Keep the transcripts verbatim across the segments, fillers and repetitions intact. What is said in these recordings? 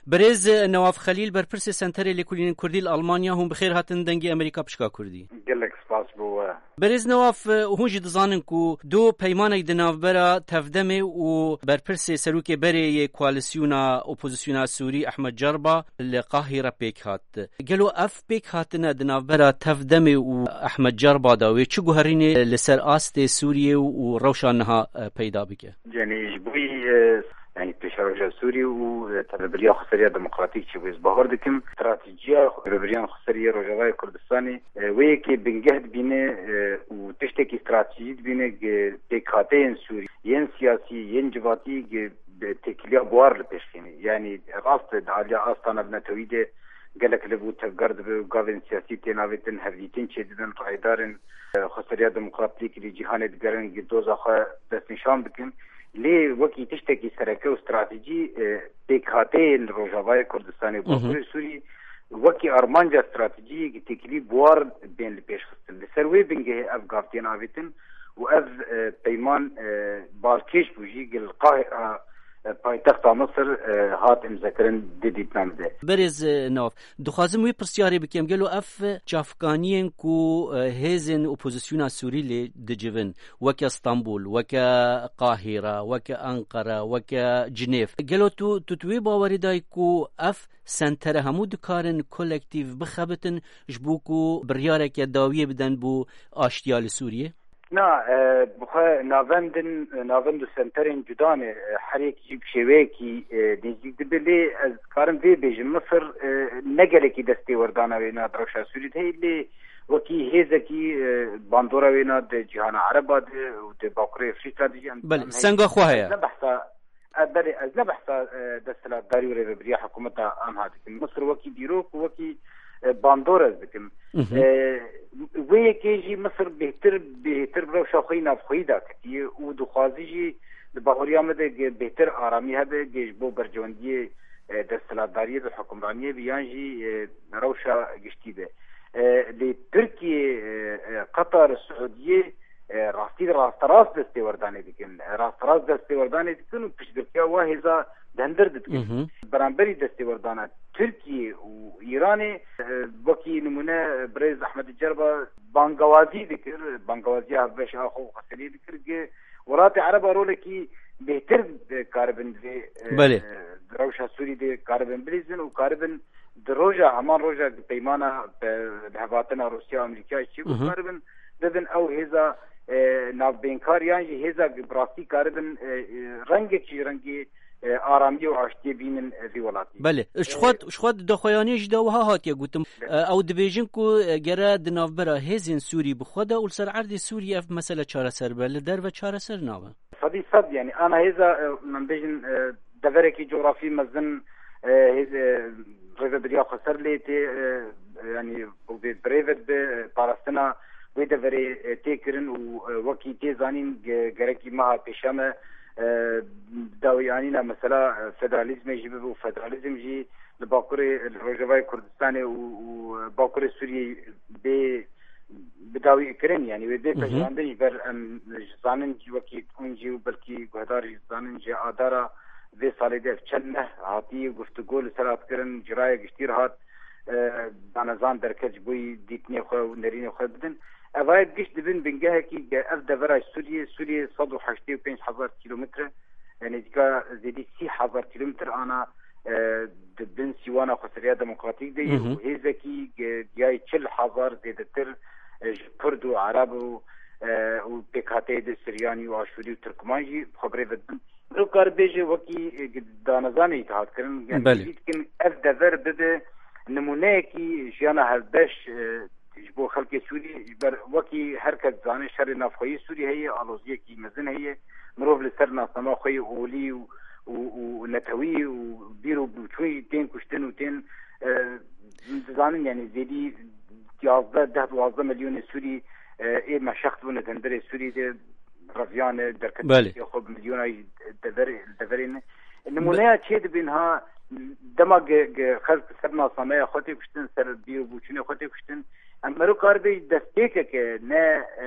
Birêz Newaf Xelîl, berpirsê Senterê Lêkolînên Kurdî li Almanya, hûn bi xêr hatin Dengê Amerîka Pişka Kurdî. Gelek spas bo we. Birêz Newaf, hûn jî dizanin ku du peymanek di navbera Tevdemê û berpirsê serokê berê yê koalîsyona opozisyona Sûrî Ehmed Cerba li Qahîre pêk hat. Gelo ev pêk hatine di navbera Tevdemê û Ehmed Cerba de wê çi guherînê li ser astê Sûriyê û rewşa niha, e, peyda bike? Yanî ji bo, e, yanî pêşeroja Sûrî û, e, tevebiriya xweseriya demokratîk çi bû, ez bawer dikim stratejiya rêvebiriyan xweseriya Rojavayê Kurdistanê, e, wê yekê bingeh dibîne, e, û tiştekî stratejî dibîne, e, pêkhateyên Sûrî, yên siyasî, yên civatî, e, têkiliya bi war li pêş xînî. Yanî rast e, di aliya asta navnetewî de gelek li bû tevger dibe û gavên siyasî tê navêtin, hevdîtin çêdibin, raydarên, e, xweseriya demokratîk li cîhanê digerin, gi doza xwe destnîşan bikin. Lê wekî tiştekî sereke û stratejî, e, pêkhateyên li Rojavayê Kurdistanê û Hı hı. Bakurê Sûrî wekî armanca stratejiyê gi têkilî bi war bên li pêş xistin. Li ser wê bingehê ev gav tên avêtin û ev, e, peyman, e, balkêş bû jî gi li Qahira, e, paytexta Misir, e, hat îmzekirin di dîtina min de. Berêz, e, Newaf, dixwazim wî pirsyarê bikim, gelo ev çavkaniyên ku, e, hêzên opozisyona Sûrî lê dicivin, weke Stenbul, weke Qahîre, weke Enqere, weke Cinêv, gelo tu, tu, tu wê bawerî dayî ku ev sentere hemû dikarin kolektîf bixebitin ji bo ku biryareke dawiyê bidin bo aştiya li Sûriyê? Na, e, bi xwe navendin, navend û senterên cuda ne, e, her yek jî bi şêweyekî, e, nêzîk dibe, lê ez dikarim vê bêjim, Misir, e, ne gelekî destê werdana wê na di rewşa Sûrî de heye, lê wekî hêzekî, e, bandora wê na di cîhana Ereba de û di Bakurê Efrîka de jî em Belê, em heye. Senga xwe heye. Ez ne behsa, e, belê, ez ne behsa, e, desthilatdarî û rêvebiriya hikûmeta anha dikim. Misir wekî dîrok û wekî, e, bandor ez dikim. Mhm. E, wê yekê jî Misir bêhtir, bêhtir bi rewşa xwe yî navxweyî daketiye û dixwazî jî di bahuriya me de ge-, bêhtir aramî hebe, ge ji bo berjewendiyê, e, desthilatdariyê bi hukimraniyê bi yan jî, e, rewşa giştî be. E, lê Tirkiye, e, e, Qatar, Siûdiyê, e, rastî rasterast destêwerdanê dikin. E, rasterast destêwerdanê dikin û piştgirtiya wa hêza di hundir didikin. Mhm. Beramberî destêwerdana Tirkiye û Îranê, e, wekî nimûne, e, birêz Ehmed Cerba bangawazî dikir, bangawaziya hevbeş a xwe û xweseriyê dikir, ki welatê Ereba rolekî bêhtir, e, karibin vê, e, Belê. e, rewşa Sûrî de karibin bilîzin û karibin di roja, heman roja peymana, pe-, bi hevatina Rûsya û Amerîka çi Mhm. karibin bibin ew hêza, e, navbênkar yan jî hêza bi rastî karibin, e, e, rengekî ji rengê, e, aramiyê û aştiyê bînin, e, vî welatî. Belê. Ji xwe, ji xwe di daxuyaniyê jî de wiha hatiye gotin. E, ew dibêjin ku, e, gere di navbera hêzên Sûrî bi xwe de û li ser erdê Sûrî ev mesele çareser be. Li derve çareser nabe. Sedî sed, yanî ana hêza, e, min bêjin, e, deverekî cografî mezin, e, hêz-, e, rêvebiriya xweser lê tê, e, e, yanî û vê birêve dibe, e, parastina wê deverê, e, tê kirin û, e, wekî tê zanîn ge-, gerekî meha pêşiya me, e, dawî anîna mesela, e, federalîzmê jî bibe û federalîzm jî li Bakurê, li Rojavayê Kurdistanê û, û Bakurê Sûriyê bê bi dawî kirin, yanî wê bê Mhm. pejirandin ji ber em ji zanin jî wekî hûn jî û belkî guhedar jî zanin ji adara vê salê de ev çend meh hatî guftûgo li ser hat kirin, ciraye giştî re hat, e, danezan derket ji bo yî dîtinê xwe û nerînê xwe bidin. Ev ayet giş dibin bingehekî ge ev devera Sûriyê, Sûriyê sed û heştê û pênc hezar kîlometre, e, nêzîka zêdî sî hezar kîlometre ana, e, di bin sîwana xweseriya demokratîk de ye Mhm. û hêzekî ge-, giyayî çil hezar zêdetir, e, ji Kurd û Ereb û, e, û pêkhateyê de Siryanî û Aşûrî û Tirkman jî xwe bi rê ve dibin. Mirov kar bêje wekî, e, danezanê yî hat kirin, yanî Belê. Hêvî dikin ev dever bibe nimûneyekî jiyana hevbeş, e, ji bo xelkê Sûrî, ji ber wekî her kes dizane şerê navxweyî Sûrî heye, aloziyekî mezin heye. Mirov li ser nasnama xwe yê olî û, û, û netewî û bîr û bûçûn jî tên kuştin û tên, e, dizanin, yanî zêdî yazdeh, deh, duwazdeh milyonê Sûrî, e, ê meşext bûne di hundirê Sûrî de reviyane, derketî Belê. Xwe bi milyona dever-, deverê ne. Nimûneya çê dibin ha, dema ge-, ge-, xelk ser nasnameya xwe tê kuştin, ser bîr û bûçûnê xwe tê kuştin, em mero karibê destpêkeke, ne, e,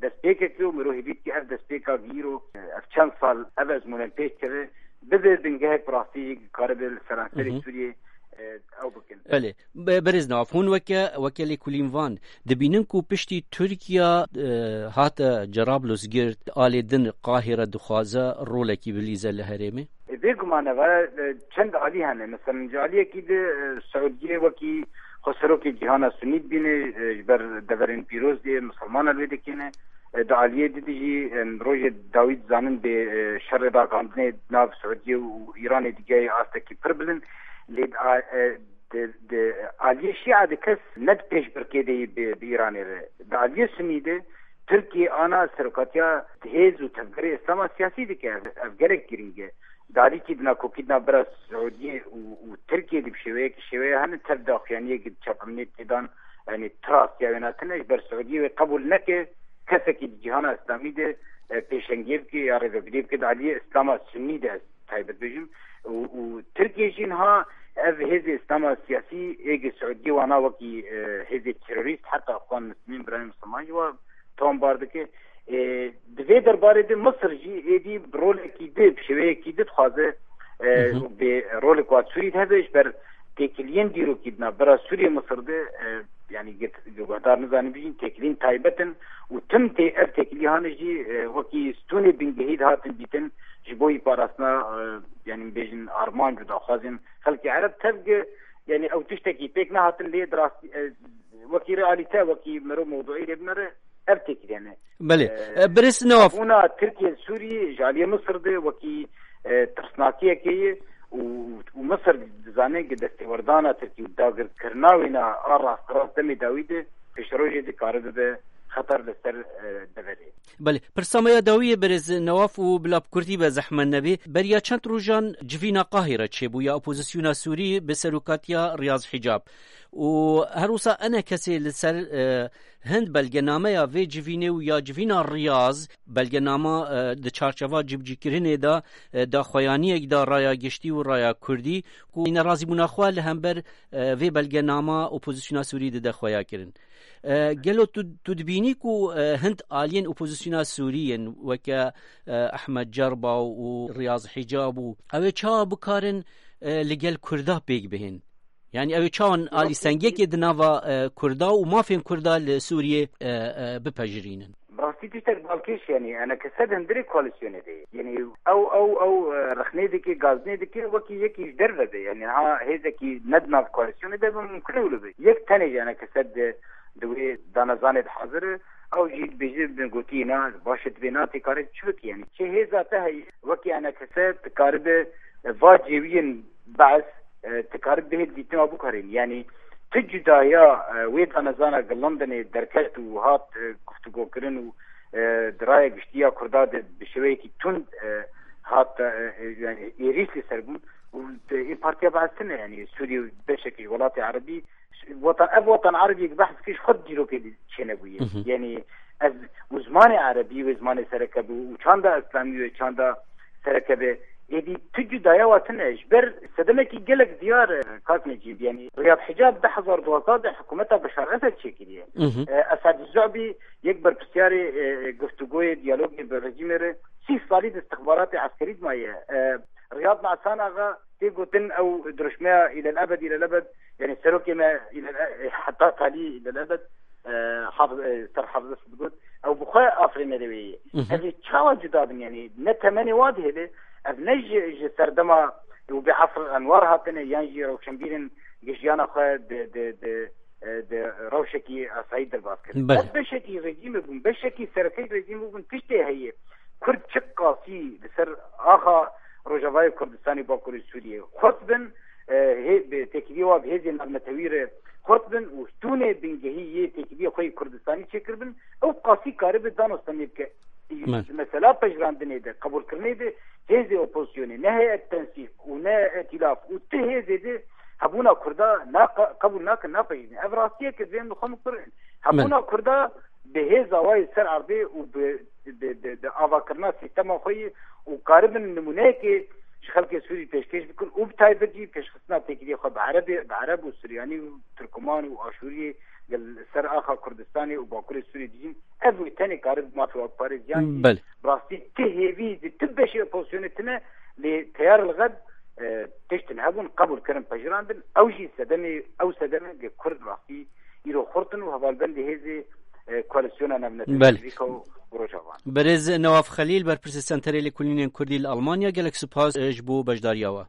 destpêkeke û mero hêvî dike ev destpêka gîro, e, ev çend sal, ev ezmûne pêş keve, bibe bingehek bi rastî karibe li seranserê Hı hı. Sûriyê, e, ew bikin. Belê. Be-, Berêz Newaf, hûn weke, weke lêkolîn van dibînin ku piştî Tirkiye, e, hate Cerablus girt, alê din Qahire dixwaze rolekî bilîze li herêmê? E, bêguman e, va, e, çend alî hene. Mesela ji aliyekî de, e, Siûdiyê wekî xweserokê cîhana Sunî dibîne, e, ji ber deverên pîroz dê, misilmanan wê dikêne. E, di aliyê di dijî, em, rojê dawî dizanin bê, e, şerê dagandinê nav Siûdiye û Îranê digihê astekî pir bilind. Lê di a-, e, di, di aliyê Şîa de kes ne di pêşbirkê de yî bi, bi Îranê re. Di aliyê Sunî de Tirkiye ana serokatiya hêz û tevgerê Îslama siyasî dike. Ev, ev gelek girîng e. Di alîkî di nakokî di navbera Siûdiyê û, û Tirkiyê de bi şêweyekî şêweya hene tev daxuyaniyekî di çapemeniyê têdan, yanî trastiya wê hatine, ji ber Siûdiyê wê qebûl neke kesekî di cîhana Îslamî de, e, pêşengiyê bike ya rêvebiriyê bike di aliyê Îslama Sunnî de, ez taybet bêjim. Û, û Tirkiye jî niha ev hêzê Îslama siyasî êgê Siûdiyê wana wekî, e, hêzê terorîst, heta Îxwan Muslimîn, birayê Misilman jî wa tombar dike. E, di vê derbarê de Misir jî êdî bi rolekî di, bi şêweyekî di dixwaze, e, Hı hı. bê rolek wa Sûrî de hebe, ji ber têkiliyên dîrokî di navbera Sûriyê Misir de, e, yanî get-, guhdar nizanin bijîn, têkiliyên taybet in û tim tê ev têkilî hane jî, e, wekî stûnê bingehî dihatin dîtin ji bo yî parastina, e, yanî bêjin armanc û daxwazên xelkê Ereb tevge, yanî ew tiştekî pêk nehatin lê di rastî, e, wekî realîte, wekî mero mewduî lê binere, ev têkiliyane. Belê. E, E, Birêz Newaf. Bûna Tirkiye Sûrî ji aliyê Misir de wekî, e, tirsnakiyekê ye û, û Misir dizane ki destêwerdana Tirkî û dagirkirina wêna a rasterast demê dawî de pêşerojê dikare bibe xeter li ser, e, deverê. Belê. Pirsa me ya dawî ye Birêz Newaf û bila bi kurtî be zehmet nebê. Beriya çend rojan civîna Qahîre çêbû ya opozisyona Sûrî bi serokatiya Riyaz Hicab. Û her wisa enekesê li ser, e, Hind belgenameya vê civînê û ya civîna Riyaz, belgenama, e, di çarçeva cibcîkirinê de, e, daxuyaniyek da raya giştî û raya kurdî, ku nerazîbûna xwe li hember, e, vê belgenama opozisyona Sûrî dide xweya kirin. E, gelo tu, tu dibînî ku, e, hind aliyên opozisyona Sûrî yên weke, e, Ehmed Cerba û Riyaz Hicab û ew ê çawa bikarin, e, li gel Kurda pêk bihên? Yani ew ê çawan alî sengiyekê di nava, e, Kurda û mafên Kurda li Sûriyê, e, e, bipejirînin? Bi rastî tiştek balkêş, yani enekese di hundirê koalîsyonê de ye. Yani ew, ew, ew, e, rexnê dike, gazinê dike, wekî yekî ji derve be. Yani ha hêzekî ne di nav koalîsyonê de be, mumkin e wilo be. Yek tenê ji enekese di, di wê danezanê de hazir e. Ew jî dibêje, bi gotiyê na, baş e, divê na tê kare çi bike, yani çi hêza te heye, wekî enekese dikaribe, e, va cêwiyên Be'es, e, dikaribe bihê dîtina bikarên. Yani tu cudaya, e, wê danezana ki Londonê derket û hat, e, guftûgokirin û, e, di raya giştî ya Kurda de bi şêweyekî tund, e, hat, e, e, yani êrîş li ser bûn û, e, ê Partiya Be'es tune, yani Sûriyê û beşekî ji welatê Erebî, watan, ev watan Erebiyek behs kir ji xwe dîrokê çênebûye. Hı hı. Yani ev û zimanê Erebî wê zimanê sereke bû û çanda Îslamî wê çanda sereke be. Êdî tu cudaya wa tune ji ber sedemekî gelek diyar, e, kak Necîb. Yani Riyad Hicab du hezar duwazdeh de hikûmeta Beşar Esed çêkiriye. Hı hı. E, Esad Zu'bî yek berpisyarê, e, guftûgoyê, diyalogê bi rejîmê re sî salî di istixbaratê eskerî de maye. E, Riyad Nesan Axa tê gotin ew dirûşmeya îlel ebed, îlel ebed, yani serokê me îlel e-, heta talî îlel ebed, e, hafiz, e, ser hafizes digot, ew bi xwe afirînerê wê ye. Hı hı. Ev ê çawa cuda bin, yani ne temenê wa dihêle, ev ne ji, ji serdema û bi Efr Enwar hatine, yan jî rewşenbîrên giştiyana xwe di, di, di, e, di rewşekî asayî derbas kirin. Belê. Ev beşekî rejîmê bûn, beşekî serekeyî rejîmê bûn, tiştê heye. Kurd çi qasî li ser axa Rojavayê Kurdistanê, Bakurê Sûriyê xurt bin, e, hê-, bi têkiliyê wa bi hêzên navnetewî re xurt bin û stûnê bingehî yê têkiliyê xwe yê Kurdistanî çêkiribin, ew qasî karibe danostemê bike. Me. Mesela pejirandinê de, qebûlkirinê de hêzê opozisyonê, ne heyet tensîq û ne îtîlaf û ti hêzê de hebûna Kurda na-, qebûl nakin, napejirînin. Ev rastiyek e, divê em li xwe bikirin. Hebûna Kurda bi hêza wa yê ser erdê û bi, bi, bi, bi avakirina sîstema xwe yê û karibin nimûneyekê ji xelkê Sûrî pêşkêş bikin û bi taybet jî pêşxistina têkiliyê xwe bi Erebê, bi Ereb û Suryanî û Tirkuman û Aşûriyê li ser axa Kurdistanê û Bakurê Sûriyê dijîn. Ev wê tenê karibe mafê xwe biparêz. Yan jî Belê. bi rastî ti hêvî di ti beşê opozisyonê tine, lê teyar li xeb, e, tiştin hebûn, qebûl kirin, pejirandin. Ew jî sedemê, ew sedemê ge Kurd rastî îro xurt in û hevalbendê hêzê, e, koalîsyona navnetewî Belê. Amerîka û Rojavan. Berêz Newaf Xelîl, berpirsê Senterê Lêkolînên Kurdî li Almanya, gelek spas, e, ji bo beşdariya we.